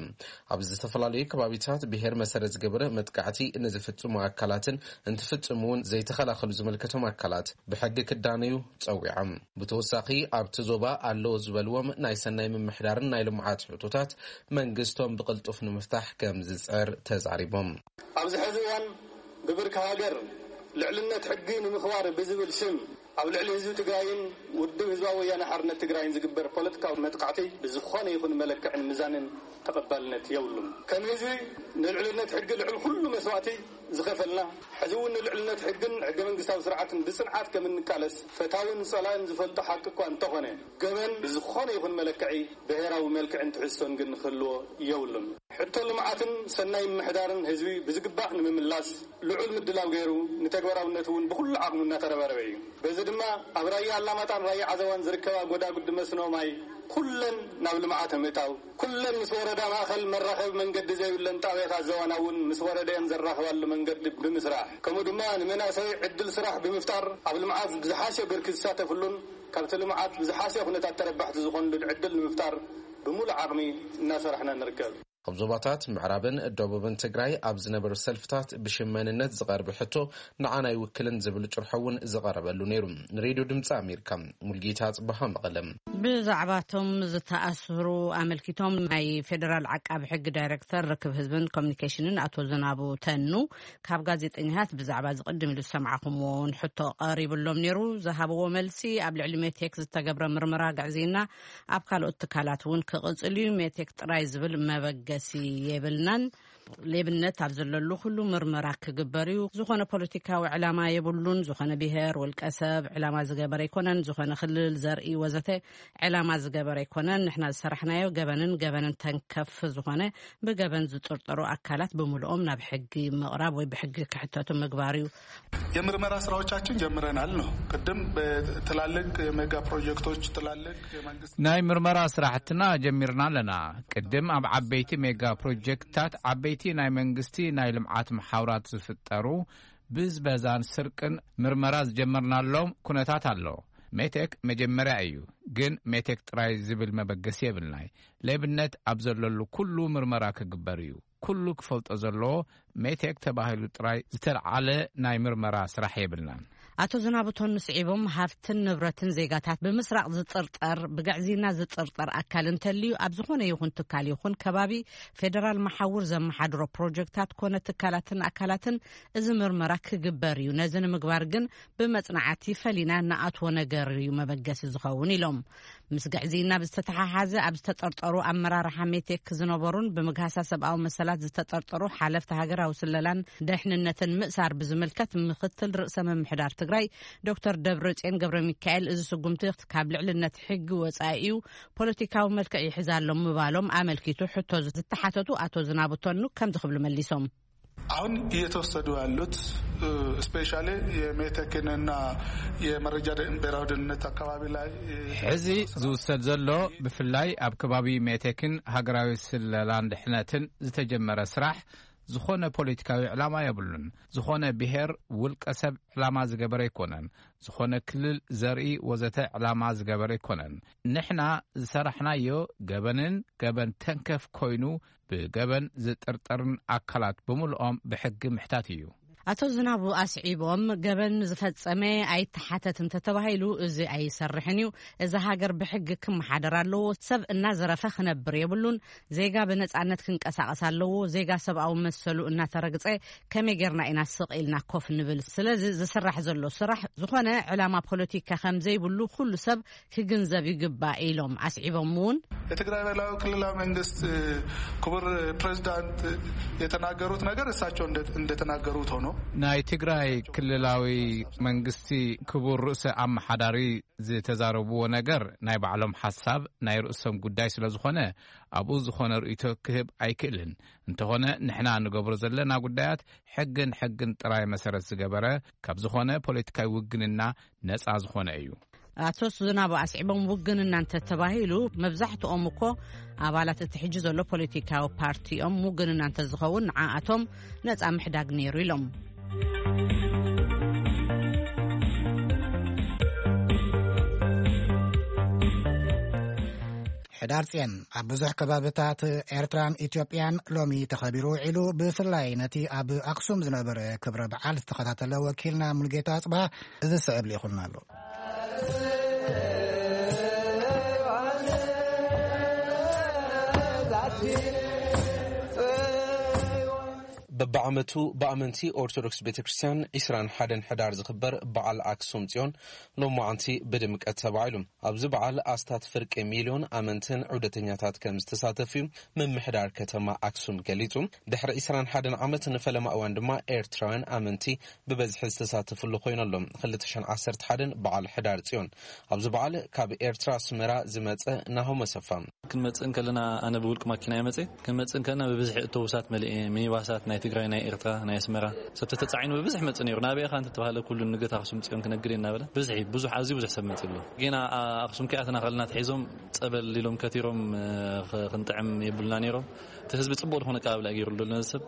ኣብ ዝተፈላለዩ ከባቢታት ብሄር መሰረት ዝገበረ መጥቃዕቲ ንዝፍጽሙ ኣካላትን እንትፍጽሙ እውን ዘይተኸላኸሉ ዝምልከቶም ኣካላት ብሕጊ ክዳነዩ ጸዊዖም። ብተወሳኺ ኣብቲ ዞባ ኣለዎ ዝበልዎም ናይ ሰናይ ምምሕዳርን ናይ ልምዓት ሕቶታት መንግስቶም ብቕልጡፍ ንምፍታሕ ከም ዝጽዕር ተዛሪቦም። ኣብዚ ሕዚ እዋን ብብርኪ ሃገር ልዕልነት ሕጊ ንምኽባር ብዝብል ሽም ኣብ ልዕሊ ህዝቢ ትግራይን ውድብ ህዝባዊ ወያነ ሓርነት ትግራይን ዝግበር ፖለቲካዊ መጥቃዕቲ ብዝኾነ ይኹን መለክዕን ምዛንን ተቐባልነት የብሉን። ከም ህዝቢ ንልዕልነት ሕጊ ልዕሊ ኩሉ መስዋእቲ ዝኸፈልና፣ ሕዚ እውን ንልዕልነት ሕግን ሕገ መንግስታዊ ስርዓትን ብጽንዓት ከም እንቃለስ ፈታውን ጸላእን ዝፈልጦ ሓቂ እኳ እንተኾነ፣ ገበን ብዝኾነ ይኹን መለክዒ ብሄራዊ መልክዕን ትሕዝቶን ግን ክህልዎ የብሉን። ሕቶ ልምዓትን ሰናይ ምምሕዳርን ህዝቢ ብዝግባእ ንምምላስ ልዑል ምድላው ገይሩ፣ ንተግባራውነቱ እውን ብኹሉ ዓቕሙ እናተረባረበ እዩ። በዚ ድማ ኣብ ራያ ኣላማጣን ራያ ዓዘዋን ዝርከባ ጎዳጉዲ መስኖ ማይ ኩለን ናብ ልምዓት ንምእታው፣ ኩለን ምስ ወረዳ ማእኸል መራኸቢ መንገዲ ዘይብለን ጣብያታት ዘዋና እውን ምስ ወረደየን ዘራኽባሉ መንገዲ ብምስራሕ፣ ከምኡ ድማ ንመናእሰይ ዕድል ስራሕ ብምፍጣር፣ ኣብ ልምዓት ብዝሓሸ ብርኪ ዝሳተፍሉን ካብቲ ልምዓት ብዝሓሸ ኩነታት ተረባሕቲ ዝኾኑሉን ዕድል ንምፍጣር ብምሉእ ዓቕሚ እናሰራሕና ንርከብ። ኣብ ዞባታት ምዕራብን ደቡብን ትግራይ ኣብ ዝነበሩ ሰልፍታት ብሽም መንነት ዝቐርብ ሕቶ ንዓና ኣይውክልን ዝብል ጭርሖ እውን ዝቐረበሉ ነይሩ። ንሬድዮ ድምፂ ኣሜሪካ፣ ሙልጌታ ጽባሃ፣ መቐለም። ብዛዕባቶም ዝተኣስሩ ኣመልኪቶም ናይ ፌደራል ዓቃቢ ሕጊ ዳይሬክተር ርክብ ህዝብን ኮሚኒኬሽንን ኣቶ ዝናቡ ተኑ ካብ ጋዜጠኛታት ብዛዕባ ዝቕድም ኢሉ ዝሰማዕኹምዎ እውን ሕቶ ቀሪብሎም ነይሩ። ዝሃብዎ መልሲ ኣብ ልዕሊ ሜቴክ ዝተገብረ ምርመራ ግዕዝይና ኣብ ካልኦት ትካላት እውን ክቕጽል እዩ። ሜቴክ ጥራይ ዝብል መበገሲ የብልናን። ሌብነት ኣብ ዘለሉ ኩሉ ምርመራ ክግበር እዩ። ዝኾነ ፖለቲካዊ ዕላማ የብሉን። ዝኾነ ብሄር፣ ውልቀ ሰብ ዕላማ ዝገበረ ኣይኮነን። ዝኾነ ክልል፣ ዘርኢ ወዘተ ዕላማ ዝገበረ ኣይኮነን። ንሕና ዝሰራሕናዮ ገበንን ገበንን ተንከፍ ዝኾነ ብገበን ዝጥርጠሩ ኣካላት ብምልኦም ናብ ሕጊ ምቕራብ ወይ ብሕጊ ክሕተቱ ምግባር እዩ። የምርመራ ስራዎቻችን ጀምረናል ነው። ቅድም በትላልቅ የሜጋ ፕሮጀክቶች፣ ትላልቅ የመንግስት ናይ ምርመራ ስራሕትና ጀሚርና ኣለና። ቅድም ኣብ ዓበይቲ ሜጋ ፕሮጀክትታት፣ ዓበይቲ ናይ መንግስቲ ናይ ልምዓት መሓውራት ዝፍጠሩ ብዝበዛን ስርቅን ምርመራ ዝጀመርናሎም ኩነታት ኣሎ። ሜቴክ መጀመርያ እዩ፣ ግን ሜቴክ ጥራይ ዝብል መበገሲ የብልናይ። ሌብነት ኣብ ዘለሉ ኩሉ ምርመራ ክግበር እዩ። ኩሉ ክፈልጦ ዘለዎ ሜቴክ ተባሂሉ ጥራይ ዝተልዓለ ናይ ምርመራ ስራሕ የብልናን። ኣቶ ዝናቡ ተኑ ስዒቦም፣ ሃብትን ንብረትን ዜጋታት ብምስራቕ ዝጥርጠር፣ ብግዕዝይና ዝጥርጠር ኣካል እንተልዩ ኣብ ዝኾነ ይኹን ትካል ይኹን ከባቢ ፌደራል መሓውር ዘመሓድሮ ፕሮጀክታት ኮነ ትካላትን ኣካላትን እዚ ምርመራ ክግበር እዩ። ነዚ ንምግባር ግን ብመጽናዕቲ ፈሊና ንኣትዎ ነገር እዩ መበገሲ ዝኸውን ኢሎም። ምስ ግዕዝይና ብዝተተሓሓዘ ኣብ ዝተጠርጠሩ ኣመራርሓ ሜቴክ ዝነበሩን ብምግሃሳ ሰብኣዊ መሰላት ዝተጠርጠሩ ሓለፍቲ ሃገራዊ ስለላን ደሕንነትን ምእሳር ብዝምልከት ምክትል ርእሰ ምምሕዳር ትግራይ ዶክተር ደብረጽዮን ገብረ ሚካኤል፣ እዚ ስጉምቲ ካብ ልዕልነት ሕጊ ወጻኢ እዩ፣ ፖለቲካዊ መልክዕ ይሕዝ ኣሎ ምባሎም ኣመልኪቱ ሕቶ ዝተሓተቱ ኣቶ ዝናቡ ተኑ ከምዚ ክብሉ መሊሶም። አሁን እየተወሰዱ ያሉት ስፔሻሊ የሜቴክንና የመረጃ ደ- ብሔራዊ ደህንነት አካባቢ ላይ ሕዚ ዝውሰድ ዘሎ ብፍላይ ኣብ ከባቢ ሜቴክን ሃገራዊ ስለላን ድሕነትን ዝተጀመረ ስራሕ ዝኾነ ፖለቲካዊ ዕላማ የብሉን። ዝኾነ ብሔር ውልቀ ሰብ ዕላማ ዝገበረ ኣይኮነን። ዝኾነ ክልል ዘርኢ ወዘተ ዕላማ ዝገበረ ኣይኮነን። ንሕና ዝሰራሕናዮ ገበንን ገበን ተንከፍ ኮይኑ ብገበን ዝጥርጠርን ኣካላት ብምልኦም ብሕጊ ምሕታት እዩ። ኣቶ ዝናቡ ኣስዒቦም፣ ገበን ዝፈጸመ ኣይተሓተት እንተተባሂሉ እዚ ኣይሰርሕን እዩ። እዛ ሃገር ብሕጊ ክመሓደር ኣለዎ። ሰብ እናዘረፈ ክነብር የብሉን። ዜጋ ብነጻነት ክንቀሳቐስ ኣለዎ። ዜጋ ሰብኣዊ መሰሉ እናተረግጸ ከመይ ጌርና ኢና ስቕ ኢልና ኮፍ ንብል? ስለዚ ዝስራሕ ዘሎ ስራሕ ዝኾነ ዕላማ ፖለቲካ ከም ዘይብሉ ኩሉ ሰብ ክግንዘብ ይግባእ ኢሎም ኣስዒቦም እውን የትግራይ ብሔራዊ ክልላዊ መንግስት ክቡር ፕሬዚዳንት የተናገሩት ነገር እሳቸው እንደ- እንደተናገሩት ሆኖ ናይ ትግራይ ክልላዊ መንግስቲ ክቡር ርእሰ ኣመሓዳሪ ዝተዛረብዎ ነገር ናይ ባዕሎም ሓሳብ ናይ ርእሶም ጉዳይ ስለ ዝኾነ ኣብኡ ዝኾነ ርእይቶ ክህብ ኣይክእልን። እንተኾነ ንሕና ንገብሮ ዘለና ጉዳያት ሕግን ሕግን ጥራይ መሰረት ዝገበረ ካብ ዝኾነ ፖለቲካዊ ውግንና ነፃ ዝኾነ እዩ። ኣቶ ዝናቡ ኣስዒቦም ውግንና እንተተባሂሉ መብዛሕትኦም እኮ ኣባላት እቲ ሕጂ ዘሎ ፖለቲካዊ ፓርቲ እዮም። ውግንና እንተዝኸውን ንዓኣቶም ነፃ ምሕዳግ ነይሩ ኢሎም። ሕዳር ጽዮን ኣብ ብዙሕ ከባብታት ኤርትራን ኢትዮጵያን ሎሚ ተኸቢሩ ውዒሉ፣ ብፍላይ ነቲ ኣብ ኣኽሱም ዝነበረ ክብረ በዓል ዝተኸታተለ ወኪልና ሙልጌታ ኣጽብሃ እዚ ስዕብ ልኢኹልና ኣሎ። በብዓመቱ ብኣመንቲ ኦርቶዶክስ ቤተ ክርስቲያን ዒስራን ሓደን ሕዳር ዝኽበር በዓል ኣክሱም ጽዮን ሎማዓንቲ ብድምቀት ተባዒሉ። ኣብዚ በዓል ኣስታት ፍርቂ ሚልዮን ኣመንትን ዑደተኛታት ከም ዝተሳተፉ እዩ ምምሕዳር ከተማ ኣክሱም ገሊጹ። ድሕሪ ዒስራን ሓደን ዓመት ንፈለማ እዋን ድማ ኤርትራውያን ኣመንቲ ብበዝሒ ዝተሳተፍሉ ኮይኑ ኣሎ። ክልተ ሽሕን ዓሰርተ ሓደን በዓል ሕዳር ጽዮን። ኣብዚ በዓል ካብ ኤርትራ ኣስመራ ዝመጸ ናሆም ኣሰፋ። ክንመጽእ እንከለና ኣነ ብውልቂ ማኪና እየ መጽእ። ክንመጽእ እንከለና ብብዝሒ ኣውቶቡሳት መሊኤ፣ ሚኒባሳት ናይ ትግራይ፣ ናይ ኤርትራ፣ ናይ ኣስመራ ሰብ ተተጻዒኑ ብብዝሒ መጽእ ነይሩ። ናበይ ኢኻ እንተተባህለ ኩሉ ንግደት ኣኽሱም ጽዮን ክነግድ እየ እናበለ ብዝሒ ብዙሕ፣ ኣዝዩ ብዙሕ ሰብ መጽእ ኣሎ። ጌና ኣ-፣ ኣኽሱም ከይኣተና ከለና ኣትሒዞም ጸበል ኢሎም ከቲሮም፣ እ፣ ኽ-፣ ክንጥዕም የብሉና ነይሮም። እቲ ህዝቢ ጽቡቕ ዝኾነ ኣቀባብላ ገይሩሉ ነዚ ሰብ።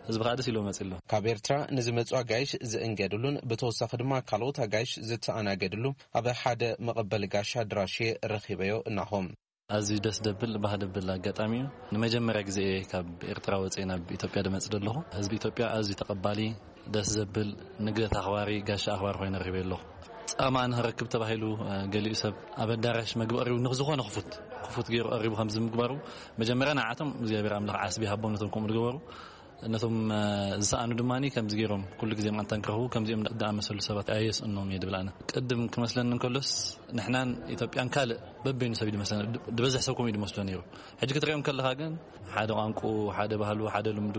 ህዝቢ ከዓ ደስ ኢልዎ መጽእ ኣሎ። ካብ ኤርትራ ንዝመጹ ኣጋይሽ ዝእንገድሉን ብተወሳኺ ድማ ካልኦት ኣጋይሽ ዝተኣናገድሉ ኣብ ሓደ መቐበሊ ጋሻ ኣድራሽ ረኺበዮ እናሆም። ኣዝዩ ደስ ደብል ባህ ደብል ኣጋጣሚ እዩ። ንመጀመርያ ግዜ እየ ካብ ኤርትራ ወፅየ ናብ ኢትዮጵያ ድመፅእ ዘለኹ። ህዝቢ ኢትዮጵያ ኣዝዩ ተቐባሊ፣ ደስ ዘብል፣ ንግደት ኣኽባሪ፣ ጋሻ ኣኽባሪ ኮይነ ረኺበ ኣለኹ። ፃማ ንኽረክብ ተባሂሉ፣ እ፣ ገሊኡ ሰብ ኣብ ኣዳራሽ መግቢ ቀሪቡ ንዝኾነ ክፉት ክፉት ገይሩ ቀሪቡ ከምዚ ምግባሩ መጀመርያ ንዓቶም እግዚኣብሔር ኣምላኽ ዓስቢ ሃቦም ነቶም ከምኡ ዝገበሩ። ነቶም፣ እ፣ ዝሰኣኑ ድማ ከምዚ ገይሮም ኩሉ ግዜ መዓልታ ንክረኽቡ ከምዚኦም ዝኣመሰሉ ሰባት ኣየስእኖም እየ ድብል ኣነ። ቅድም ክመስለኒ እንከሎስ ንሕናን ኢትዮጵያን ካልእ በበይኑ ሰብ እዩ ዝመስለና። ድ-፣ ዝበዝሕ ሰብ ከምኡ እዩ ዝመስሎ ነይሩ። ሕጂ ክትሪኦም ከለኻ ግን ሓደ ቋንቁ፣ ሓደ ባህሉ፣ ሓደ ልምዱ፣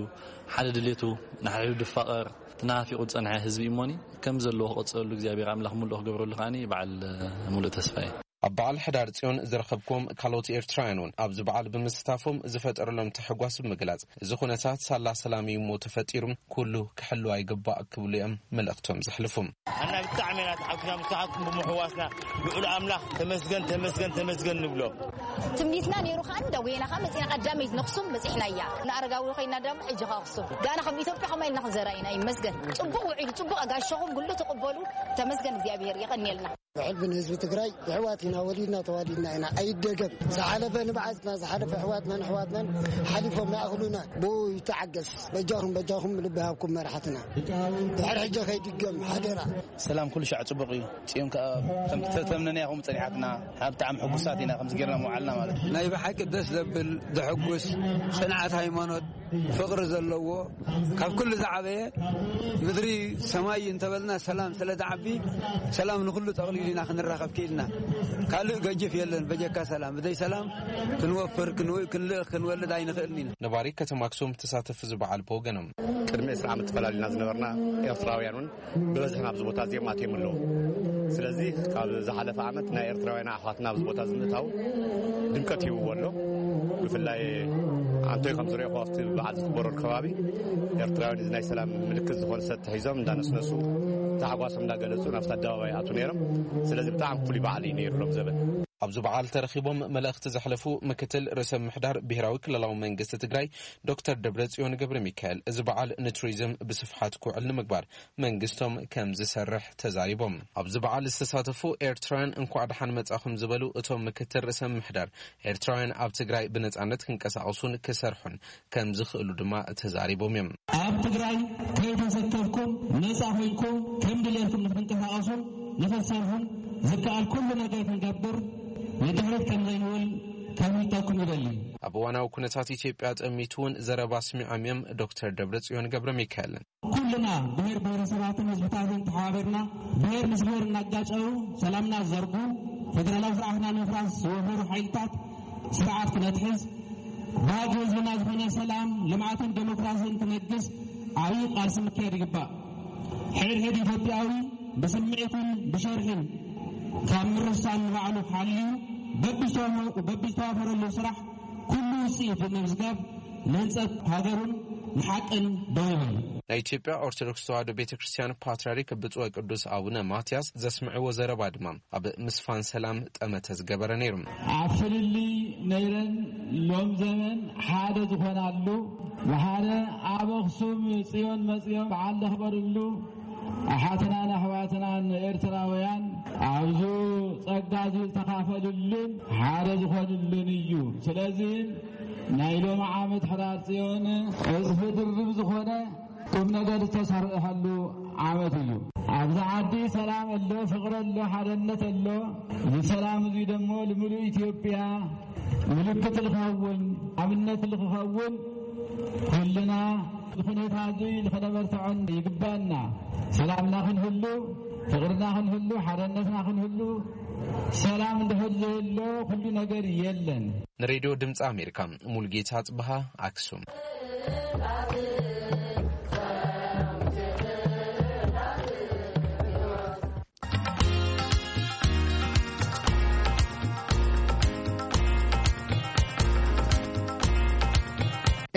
ሓደ ድሌቱ፣ ንሓድሕዱ ድፋቐር፣ ተናፊቑ ዝጸንሐ ህዝቢ እዩ እሞኒ፣ ከም ዘለዎ ክቕጽለሉ እግዚኣብሔር ኣምላኽ ምሉእ ክገብረሉ ከኣኒ በዓል፣ እ፣ ምሉእ ተስፋ እየ። ኣብ በዓል ሕዳር ጽዮን ዝረኸብክዎም ካልኦት ኤርትራውያን እውን ኣብዚ በዓል ብምስታፎም ዝፈጠረሎም ታሕጓስ ብምግላጽ፣ እዚ ኩነታት ሳላ ሰላም እዩ እሞ ተፈጢሩ፣ ኩሉ ክሕልዋ ይግባእ ክብሉ እዮም መልእኽቶም ዘሕልፉ። ኣና ብጣዕሚ ኢና ተሓጒስና ምስ ተሓትኩም ብምሕዋስና ልዑል ኣምላኽ ተመስገን፣ ተመስገን፣ ተመስገን ንብሎ። ትምኒትና ነይሩ ከኣ እንዳጎየና ከኣ መጺና ቀዳመይት ነኽሱም በጺሕናያ። ንኣረጋዊ ኮይና ደሞ ሕጂ ከኣ ኣኽሱም። ጋና ከም ኢትዮጵያ ከማይ ኢልና ክንዘራ ኢና። ይመስገን። ጽቡቕ ውዒሉ፣ ጽቡቕ ኣጋሻኹም ኩሉ ተቐበሉ። ተመስገን እግዚኣብሔር፣ የቐንየልና። ብሕልፊ ንህዝቢ ትግራይ የሕዋት ኢና፣ ወሊድና ተዋሊድና ኢና፣ ኣይደገም። ዝሓለፈ ንብዓትና፣ ዝሓለፈ ኣሕዋትናን ኣሕዋትናን ሓሊፎም ይኣኽሉና። ብኡ ይተዓገስ። በጃኹም፣ በጃኹም ልቢ ሃብኩም መራሕትና። ድሕሪ ሕጂ ከይድገም ሓደራ። ሰላም ኩሉ ሻዕ ጽቡቕ እዩ። ጽዮን ከኣ ከምቲ ተተምነናያ ከምኡ ጸኒሓትና። ብጣዕሚ ሕጉሳት ኢና ከምዚ ጌርና ምውዓልና ማለት እዩ። ናይ ብሓቂ ደስ ዘብል፣ ዘሕጉስ፣ ጽንዓት ሃይማኖት፣ ፍቕሪ ዘለዎ፣ ካብ ኩሉ ዝዓበየ ምድሪ ሰማይ እንተበልና ሰላም ስለ ዝዓቢ፣ ሰላም ንኹሉ ጠቕሊሉ ኢና ክንራኸብ ክኢልና። ካልእ ገጅፍ የለን በጀካ ሰላም። ብዘይ ሰላም ክንወፍር፣ ክንው-፣ ክንልእኽ፣ ክንወልድ ኣይንኽእልን ኢና። ነባሪ ከተማ ኣክሱም ተሳተፍቲ እዚ በዓል ብወገኖም፣ ቅድሚ ዕስራ ዓመት ተፈላሊና ዝነበርና ኤርትራውያን እውን ብበዝሒ ናብዚ ቦታ እዚኦም ኣትዮም ኣለዉ። ስለዚ ካብ ዝሓለፈ ዓመት ናይ ኤርትራውያን ኣሕዋትና ኣብዚ ቦታ እዚ ምእታው ድምቀት ሂብዎ ኣሎ። ብፍላይ ኣንቶይ ከም ዝረእኹ ኣብቲ በዓል ዝኽበረሉ ከባቢ ኤርትራውያን እዚ ናይ ሰላም ምልክት ዝኾነ ሰቲ ሒዞም እንዳነስነሱ ታሕጓሶም እንዳገለጹ ናብቲ ኣደባባይ ይኣትዉ ነይሮም። ስለዚ ብጣዕሚ ፍሉይ በዓል እዩ ነይሩ ሎም ዘበን። ኣብዚ በዓል ተረኺቦም መልእኽቲ ዘሕለፉ ምክትል ርእሰ ምምሕዳር ብሄራዊ ክልላዊ መንግስቲ ትግራይ ዶክተር ደብረጽዮን ገብረ ሚካኤል፣ እዚ በዓል ንቱሪዝም ብስፍሓት ክውዕል ንምግባር መንግስቶም ከም ዝሰርሕ ተዛሪቦም። ኣብዚ በዓል ዝተሳተፉ ኤርትራውያን እንኳዕ ደሓን መጻኹም ዝበሉ እቶም ምክትል ርእሰ ምምሕዳር፣ ኤርትራውያን ኣብ ትግራይ ብነጻነት ክንቀሳቐሱን ክሰርሑን ከም ዝኽእሉ ድማ ተዛሪቦም እዮም። ኣብ ትግራይ ከይተሰከፍኩም ነጻ ኮይንኩም ከም ድሌትኩም ንክትንቀሳቐሱን ንክትሰርሑን ዝከኣል ኩሉ ነገር ክንገብር ንድሕሪት ከም ዘይንብል ከፍልጠኩም ይደሊ። ኣብ እዋናዊ ኩነታት ኢትዮጵያ ጠሚቱ እውን ዘረባ ኣስሚዖም እዮም ዶክተር ደብረጽዮን ገብረ ሚካኤል። ኩልና ብሔር ብሔረሰባትን ህዝብታትን ተሓባቢርና ብሔር ምስ ብሔር እናጋጨው ሰላምና ዝዘርጉ፣ ፌደራላዊ ስርዓትና ንምፍራስ ዝወፈሩ ሓይልታት ስርዓት ክነትሕዝ፣ ባህጊ ህዝብና ዝኾነ ሰላም፣ ልምዓትን ዴሞክራሲን ክነግስ ዓብዪ ቃልሲ ምክያድ ይግባእ። ሕድሕድ ኢትዮጵያዊ ብስምዒትን ብሸርሕን ካብ ምርሳን ንባዕሉ ሓልዩ በብዝተዋፈ-፣ በብዝተዋፈረሉ ስራሕ ኩሉ ውፅኢት ብምምዝጋብ ንህንፀት ሃገሩን ንሓቅን ደው ይበል። ናይ ኢትዮጵያ ኦርቶዶክስ ተዋሕዶ ቤተ ክርስቲያን ፓትርያርክ ብፁዕ ወቅዱስ ኣቡነ ማትያስ ዘስምዕዎ ዘረባ ድማ ኣብ ምስፋን ሰላም ጠመተ ዝገበረ ነይሩ። ኣብ ፍልልይ ነይረን ሎም ዘመን ሓደ ዝኾናሉ፣ ብሓደ ኣብ ኣኽሱም ጽዮን መጽዮም በዓል ዘኽበርሉ፣ ኣሓትናን ኣሕዋትናን ኤርትራውያን ኣብዚ ጸጋ እዚ ዝተኻፈልሉን ሓደ ዝኾንሉን እዩ። ስለዚ ናይ ሎሚ ዓመት ሕዳር ጽዮን ዕጽፊ ድርብ ዝኾነ ቁም ነገር ዝተሰርሐሉ ዓመት እዩ። ኣብዚ ዓዲ ሰላም ኣሎ፣ ፍቕሪ ኣሎ፣ ሓደነት ኣሎ። እዚ ሰላም እዚ ደሞ ንምሉእ ኢትዮጵያ ምልክት ልኸውን፣ ኣብነት ልኽኸውን ኩልና ኩነታት እዚ ንኸነበርትዖን ይግባና። ሰላምና ክንህሉ፣ ፍቕርና ክንህሉ፣ ሓደነትና ክንህሉ፣ ሰላም እንድሕር ዘየሎ ኩሉ ነገር የለን። ንሬድዮ ድምፂ ኣሜሪካ ሙልጌታ ጽብሃ፣ ኣክሱም።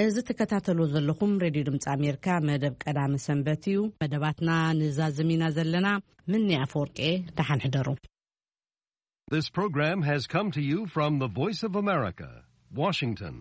እዚ ትከታተሉ ዘለኹም ሬድዮ ድምፂ ኣሜሪካ መደብ ቀዳመ ሰንበት እዩ። መደባትና ንዛዝም ኢና ዘለና። ምኒ ኣፈወርቂ፣ ደሓን ሕደሩ። This program has come to you from the Voice of America, Washington.